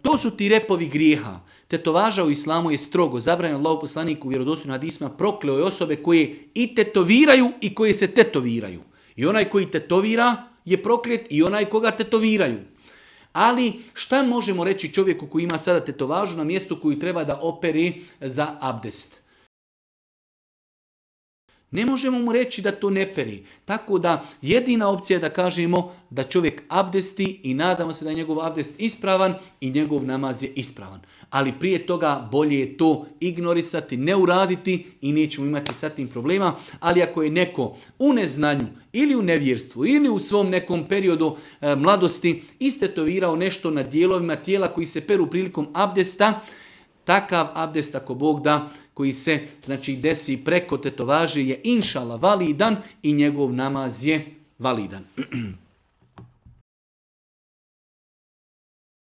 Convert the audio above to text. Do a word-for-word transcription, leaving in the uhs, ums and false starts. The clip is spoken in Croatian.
to su ti repovi grijeha. Tetovaža u islamu je strogo zabranjeno. Allahov poslanik u vjerodostojnim hadisima prokleo je osobe koje i tetoviraju i koje se tetoviraju. I onaj koji tetovira je proklet i onaj koga tetoviraju. Ali šta možemo reći čovjeku koji ima sada tetovažu na mjestu koju treba da operi za abdest? Ne možemo mu reći da to ne peri. Tako da jedina opcija je da kažemo da čovjek abdesti i nadamo se da je njegov abdest ispravan i njegov namaz je ispravan. Ali prije toga bolje je to ignorisati, ne uraditi i nećemo imati sa tim problema. Ali ako je neko u neznanju ili u nevjerstvu ili u svom nekom periodu e, mladosti istetovirao nešto na dijelovima tijela koji se peru prilikom abdesta, takav abdest ako Bog da, koji se znači desi preko tetovaže je inšala validan i njegov namaz je validan.